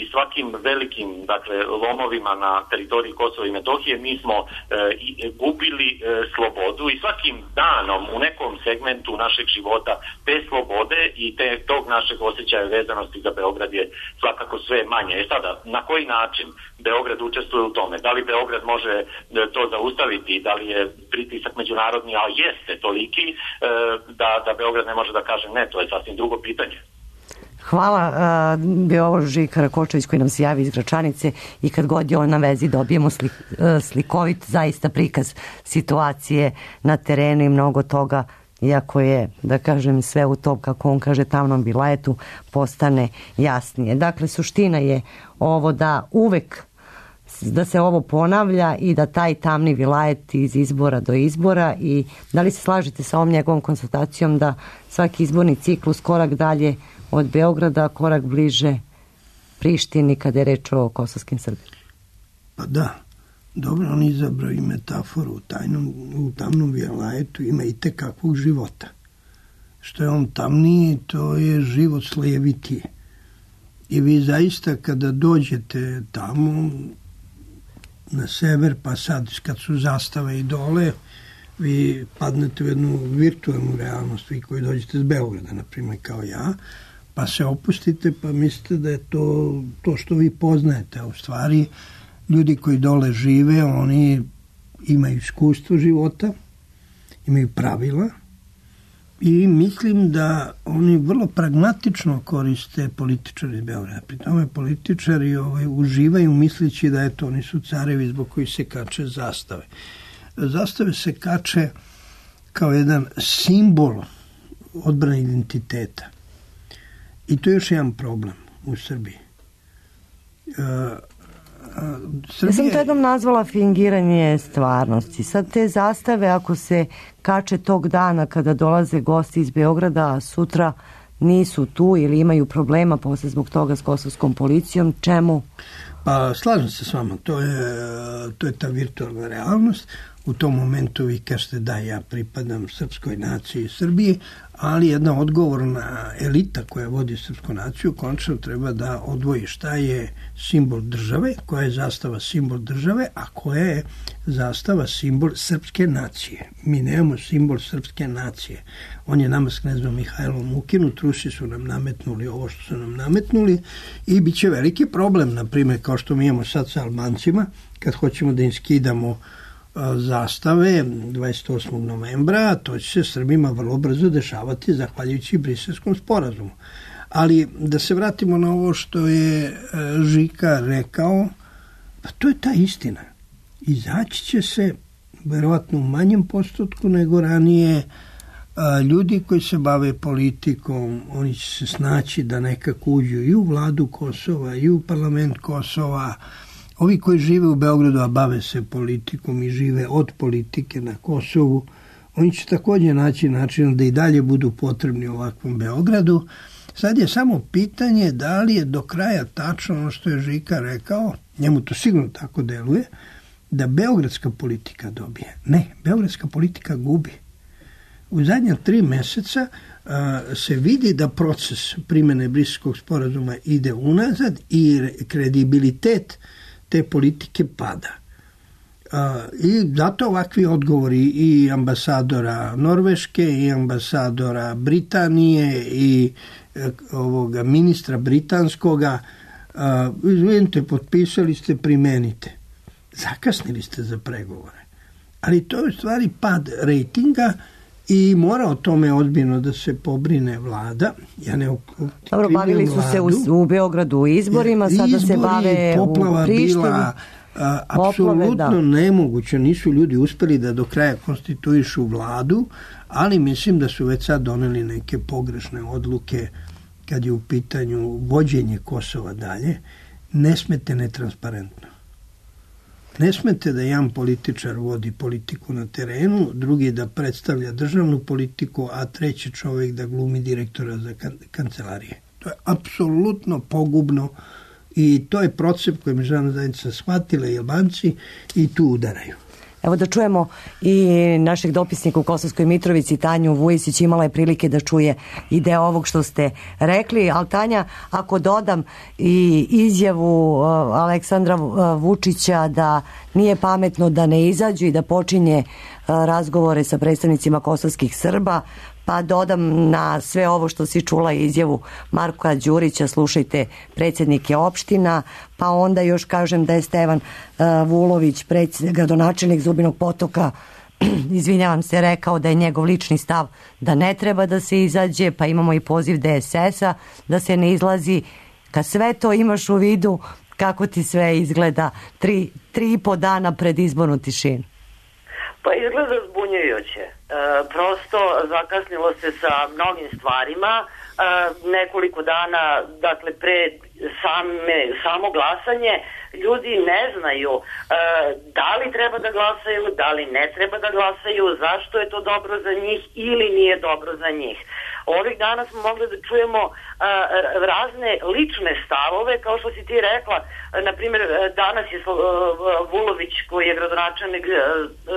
i svakim velikim, dakle, lomovima na teritoriji Kosova i Metohije mi smo gubili slobodu i svakim danom u nekom segmentu našeg života te slobode i tog našeg osjećaja vezanosti za Beograd je svakako sve manje. Sada, na koji način Beograd učestvuje u tome? Da li Beograd može to zaustaviti? Da li je pritisak međunarodni, a jeste toliki da Beograd ne može da kaže ne, to je sasvim drugo pitanje. Hvala, bio ovo Žika Rakočević koji nam se javi iz Gračanice i kad god je on na vezi dobijemo slikovit zaista prikaz situacije na terenu i mnogo toga, iako je, da kažem, sve u tom, kako on kaže, tamnom vilajetu postane jasnije. Dakle, suština je ovo da uvek da se ovo ponavlja i da taj tamni vilajet iz izbora do izbora. I da li se slažete sa ovom njegovom konstatacijom da svaki izborni ciklus korak dalje od Beograda, korak bliže Prištini kada je reč o kosovskim Srbima? Pa da, dobro, on izabrao i metaforu u tamnom vilajetu ima i tekakvog života. Što je on tamniji, to je život slojevitije. I vi zaista kada dođete tamo na sever, pa sad kad su zastave i dole, vi padnete u jednu virtualnu realnost, vi koji dođete iz Beograda, na primjer kao ja, pa se opustite, pa mislite da je to što vi poznajete, a u stvari ljudi koji dole žive, oni imaju iskustvo života, imaju pravila i mislim da oni vrlo pragmatično koriste političari iz Beograda. Pri tome političari uživaju misleći da eto, oni su carevi zbog koji se kače zastave. Zastave se kače kao jedan simbol odbrane identiteta. I to je još jedan problem u Srbiji. Ja sam to jednom nazvala fingiranje stvarnosti. Sad te zastave, ako se kače tog dana kada dolaze gosti iz Beograda, a sutra nisu tu ili imaju problema posle zbog toga s kosovskom policijom, čemu? Pa slažem se s vama, to je ta virtualna realnost. U tom momentu vi kažete da ja pripadam srpskoj naciji Srbije, ali jedna odgovorna elita koja vodi srpsku naciju konačno treba da odvoji šta je simbol države, koja je zastava simbol države, a koja je zastava simbol srpske nacije. Mi nemamo simbol srpske nacije. On je nama s knezom Mihajlom ukinut, Rusi su nam nametnuli ovo što su nam nametnuli i bit će veliki problem, na primjer, kao što mi imamo sad sa Albancima, kad hoćemo da im skidamo zastave 28. novembra, to će se Srbima vrlo brzo dešavati zahvaljujući Briselskom sporazumu. Ali da se vratimo na ovo što je Žika rekao, pa to je ta istina. Izaći će se verovatno u manjem postotku nego ranije. Ljudi koji se bave politikom, oni će se snaći da nekako uđu i u vladu Kosova i u parlament Kosova. Ovi koji žive u Beogradu, a bave se politikom i žive od politike na Kosovu, oni će također naći način da i dalje budu potrebni u ovakvom Beogradu. Sad je samo pitanje da li je do kraja tačno ono što je Žika rekao, njemu to sigurno tako deluje, da beogradska politika dobije. Ne, beogradska politika gubi. U zadnja 3 meseca se vidi da proces primjene Briselskog sporazuma ide unazad i kredibilitet te politike pada. I zato ovakvi odgovori i ambasadora Norveške i ambasadora Britanije i ovoga ministra britanskoga, izvinite, potpisali ste, primenite. Zakasnili ste za pregovore. Ali to je u stvari pad rejtinga i mora o tome ozbiljno da se pobrine vlada. Ja ne Dobro, bavili su se u Beogradu izborima, sada se bave u Prištini. Bila apsolutno nemoguće. Nisu ljudi uspeli da do kraja konstituišu vladu, ali mislim da su već sad doneli neke pogrešne odluke kad je u pitanju vođenje Kosova dalje. Ne smete netransparentno. Ne smete da jedan političar vodi politiku na terenu, drugi da predstavlja državnu politiku, a treći čovjek da glumi direktora za kancelarije. To je apsolutno pogubno I to je proces koji međunarodna zajednica shvatila i Albanci i tu udaraju. Evo da čujemo i našeg dopisnika u Kosovskoj Mitrovici, Tanju Vujisić, imala je prilike da čuje i deo ovog što ste rekli, ali Tanja, ako dodam i izjavu Aleksandra Vučića da nije pametno da ne izađu i da počinje razgovore sa predstavnicima kosovskih Srba, pa dodam na sve ovo što si čula izjavu Marka Đurića, slušajte predsjednike opština, pa onda još kažem da je Stevan Vulović, gradonačelnik Zubinog Potoka, izvinjavam se, rekao da je njegov lični stav da ne treba da se izađe, pa imamo i poziv DSS-a da se ne izlazi. Kad sve to imaš u vidu, kako ti sve izgleda 3,5 dana pred izbornu tišinu? Pa izgleda zbunjujuće. Prosto zakasnilo se sa mnogim stvarima. Nekoliko dana, dakle, pred samo glasanje, ljudi ne znaju da li treba da glasaju, da li ne treba da glasaju, zašto je to dobro za njih ili nije dobro za njih. Ovih dana smo mogli da čujemo razne lične stavove, kao što si ti rekla. Na primjer, danas je Vulović, koji je gradonačelnik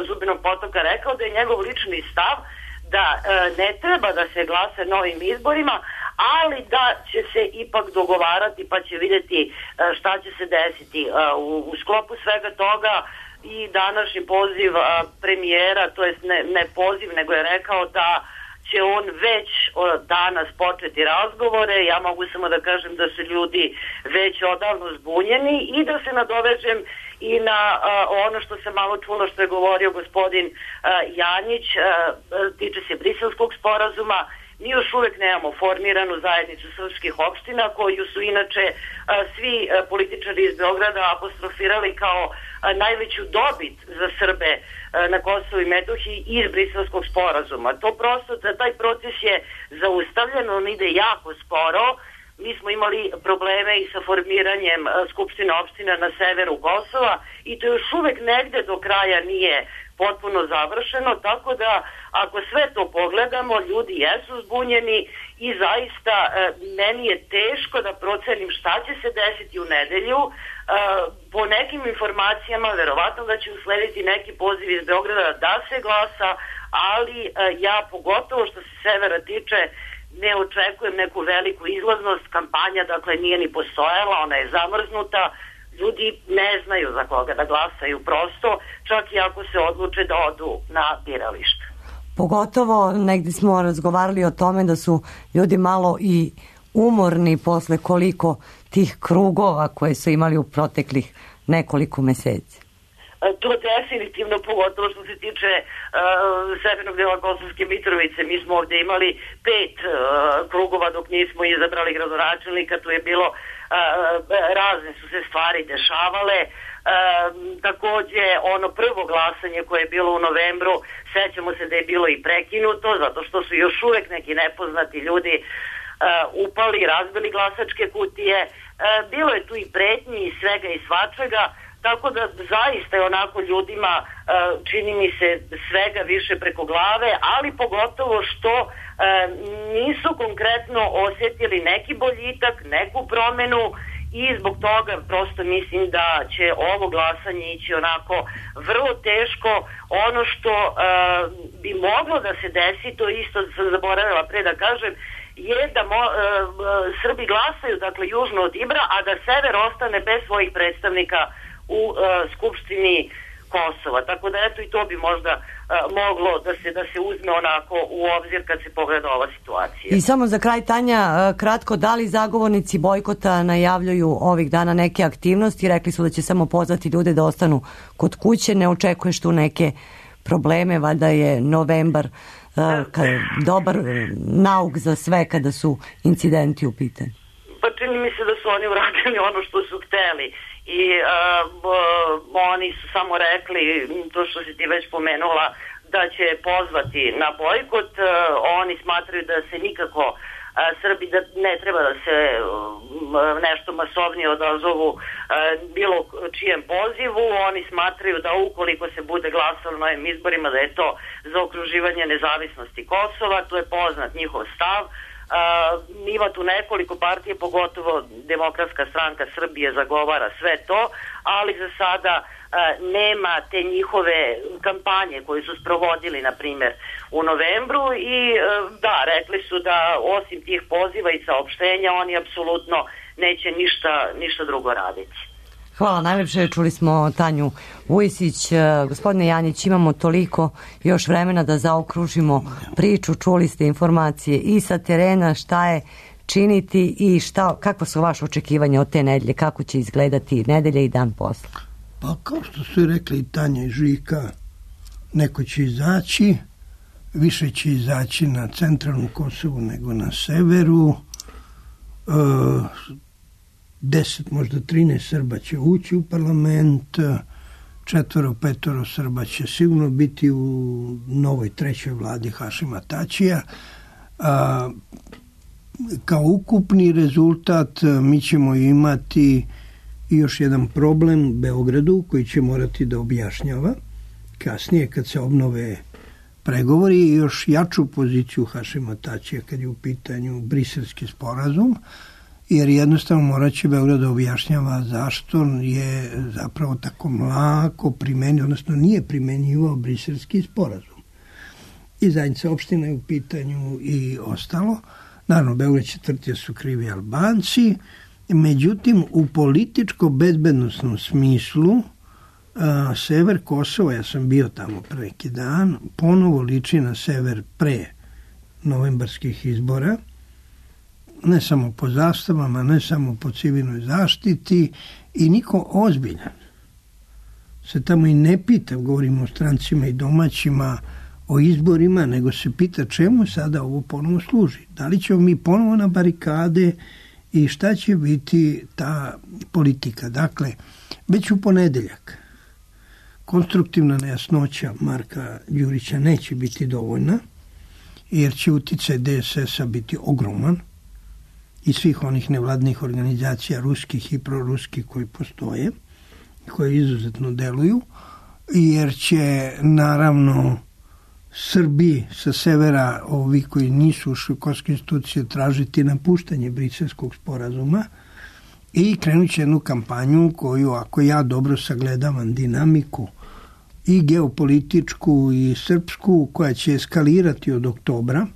Zubinog Potoka, rekao da je njegov lični stav da ne treba da se glasa novim izborima, ali da će se ipak dogovarati pa će vidjeti šta će se desiti. U sklopu svega toga i današnji poziv premijera, to jest ne poziv, nego je rekao da će on već danas početi razgovore. Ja mogu samo da kažem da su ljudi već odavno zbunjeni i da se nadovežem i na ono što sam malo čula što je govorio gospodin Janjić, tiče se Briselskog sporazuma. Mi još uvek nemamo formiranu zajednicu srpskih opština, koju su inače svi političari iz Beograda apostrofirali kao najveću dobit za Srbe na Kosovu i Metohiji iz Briselskog sporazuma. To prosto, taj proces je zaustavljen, on ide jako sporo. Mi smo imali probleme i sa formiranjem skupština opština na severu Kosova i to još uvek negde do kraja nije potpuno završeno, tako da ako sve to pogledamo, ljudi jesu zbunjeni i zaista meni je teško da procenim šta će se desiti u nedelju. Po nekim informacijama verovatno da će uslediti neki poziv iz Beograda da se glasa, ali ja pogotovo što se severa tiče ne očekujem neku veliku izlaznost. Kampanja dakle nije ni postojala, ona je zamrznuta. Ljudi ne znaju za koga da glasaju prosto, čak i ako se odluče da odu na biralište. Pogotovo negdje smo razgovarali o tome da su ljudi malo i umorni posle koliko tih krugova koje su imali u proteklih nekoliko meseci. To definitivno, pogotovo što se tiče severnog dela Kosovske Mitrovice. Mi smo ovdje imali 5 krugova dok nismo izabrali gradonačelnika, tu je bilo razne su se stvari dešavale. Takođe ono prvo glasanje koje je bilo u novembru, sećamo se da je bilo i prekinuto zato što su još uvek neki nepoznati ljudi upali, razbili glasačke kutije. Bilo je tu i pretnji i svega i svačega, tako da zaista je onako ljudima čini mi se svega više preko glave, ali pogotovo što nisu konkretno osjetili neki boljitak, neku promenu i zbog toga prosto mislim da će ovo glasanje ići onako vrlo teško. Ono što bi moglo da se desi, to isto sam zaboravila pre da kažem, je da Srbi glasaju dakle južno od Ibra, a da sever ostane bez svojih predstavnika u Skupštini Kosova. Tako da eto i to bi možda moglo da se uzme onako u obzir kad se pogleda ova situacija. I samo za kraj, Tanja, kratko, da li zagovornici bojkota najavljuju ovih dana neke aktivnosti? Rekli su da će samo pozvati ljude da ostanu kod kuće. Ne očekuješ tu neke probleme? Valjda je novembar dobar nauk za sve kada su incidenti u pitanju. Pa čini mi se da su oni uradili ono što su hteli. I oni su samo rekli to što si ti već pomenula, da će pozvati na bojkot. Oni smatraju da se nikako Srbi da ne treba da se nešto masovnije odazovu bilo čijem pozivu. Oni smatraju da ukoliko se bude glasalo na ovim izborima da je to za okruživanje nezavisnosti Kosova. To je poznat njihov stav. Ima tu nekoliko partije, pogotovo Demokratska stranka Srbije zagovara sve to, ali za sada nema te njihove kampanje koje su sprovodili, na primjer, u novembru i da, rekli su da osim tih poziva i saopštenja oni apsolutno neće ništa drugo raditi. Hvala najlepše, čuli smo Tanju Vujisić. Gospodine Janjić, imamo toliko još vremena da zaokružimo priču, čuli ste informacije i sa terena, šta je činiti i kako su vaše očekivanja od te nedelje, kako će izgledati nedelja i dan posla? Pa kao što su rekli i Tanja i Žika, neko će izaći, više će izaći na centralnu Kosovu nego na severu, 10, možda 13 Srba će ući u parlament, 4-5 Srba će sigurno biti u novoj trećoj vladi Hašima Tačija. Kao ukupni rezultat mi ćemo imati još jedan problem u Beogradu koji će morati da objašnjava kasnije kad se obnove pregovori i još jaču poziciju Hašima Tačija kad je u pitanju Briselski sporazum, jer jednostavno morat će Beograd da objašnjava zašto je zapravo tako mlako primenio, odnosno nije primenjivao Briselski sporazum. I zajednica opština je u pitanju i ostalo. Naravno, Beograd četvrtije su krivi Albanci, međutim, u političko-bezbednosnom smislu sever Kosova, ja sam bio tamo pre neki dan, ponovo liči na sever pre novembarskih izbora, ne samo po zastavama, ne samo po civilnoj zaštiti i niko ozbiljan se tamo i ne pita, govorimo o strancima i domaćima, o izborima, nego se pita čemu sada ovo ponovo služi. Da li ćemo mi ponovo na barikade i šta će biti ta politika. Dakle, već u ponedeljak konstruktivna nejasnoća Marka Đurića neće biti dovoljna, jer će uticaj DSS-a biti ogroman i svih onih nevladnih organizacija ruskih i proruskih koji postoje, koje izuzetno deluju, jer će naravno Srbi sa severa, ovi koji nisu ušli u kosovske institucije, tražiti napuštanje Briselskog sporazuma i krenut će jednu kampanju koju, ako ja dobro sagledavam dinamiku i geopolitičku i srpsku, koja će eskalirati od oktobra,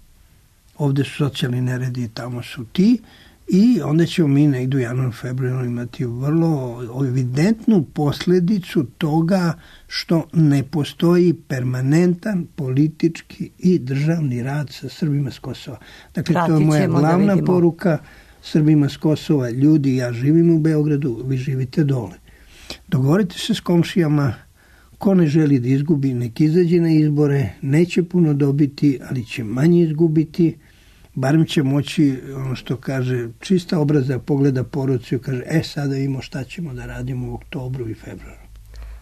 ovde su socijalni neredi, tamo su ti, i onda ćemo mi negdje u januaru, februaru imati vrlo evidentnu posljedicu toga što ne postoji permanentan politički i državni rad sa Srbima s Kosova. Dakle, to je moja glavna poruka Srbima s Kosova. Ljudi, ja živim u Beogradu, vi živite dole. Dogovorite se s komšijama, ko ne želi da izgubi, nek izađe na izbore, neće puno dobiti, ali će manje izgubiti. Barem će moći, ono što kaže, čista obraza pogleda poruci i kaže, sada vidimo šta ćemo da radimo u oktobru i februaru.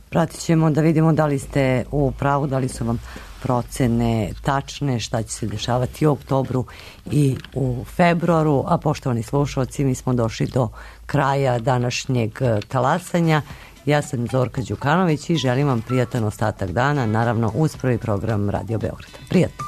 Pratit ćemo da vidimo da li ste u pravu, da li su vam procene tačne, šta će se dešavati u oktobru i u februaru. A poštovani slušalci, mi smo došli do kraja današnjeg talasanja. Ja sam Zorka Đukanović i želim vam prijatan ostatak dana, naravno uz prvi program Radio Beograda. Prijatno!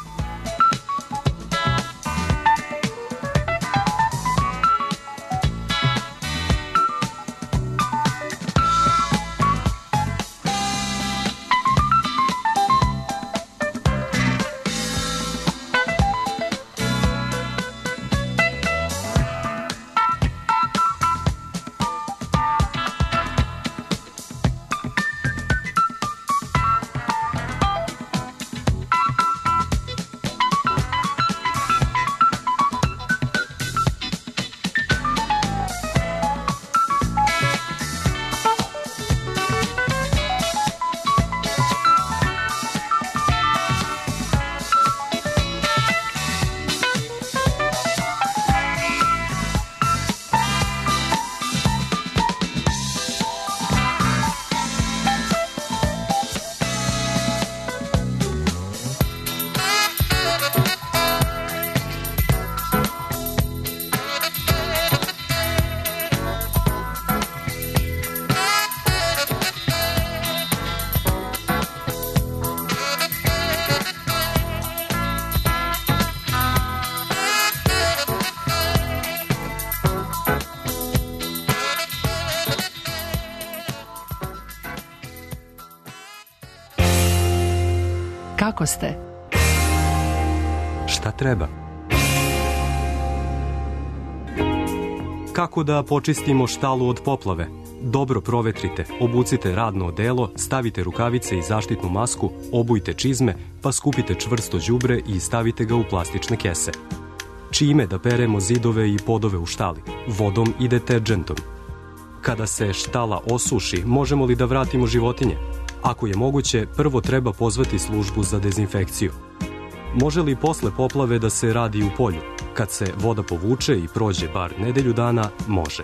Kako ste? Šta treba? Kako da počistimo štalu od poplave? Dobro provetrite, obucite radno odelo, stavite rukavice i zaštitnu masku, obujte čizme, pa skupite čvrsto đubre i stavite ga u plastične kese. Čime da peremo zidove i podove u štali? Vodom i deterdžentom. Kada se štala osuši, možemo li da vratimo životinje? Ako je moguće, prvo treba pozvati službu za dezinfekciju. Može li posle poplave da se radi u polju? Kad se voda povuče i prođe bar nedelju dana, može.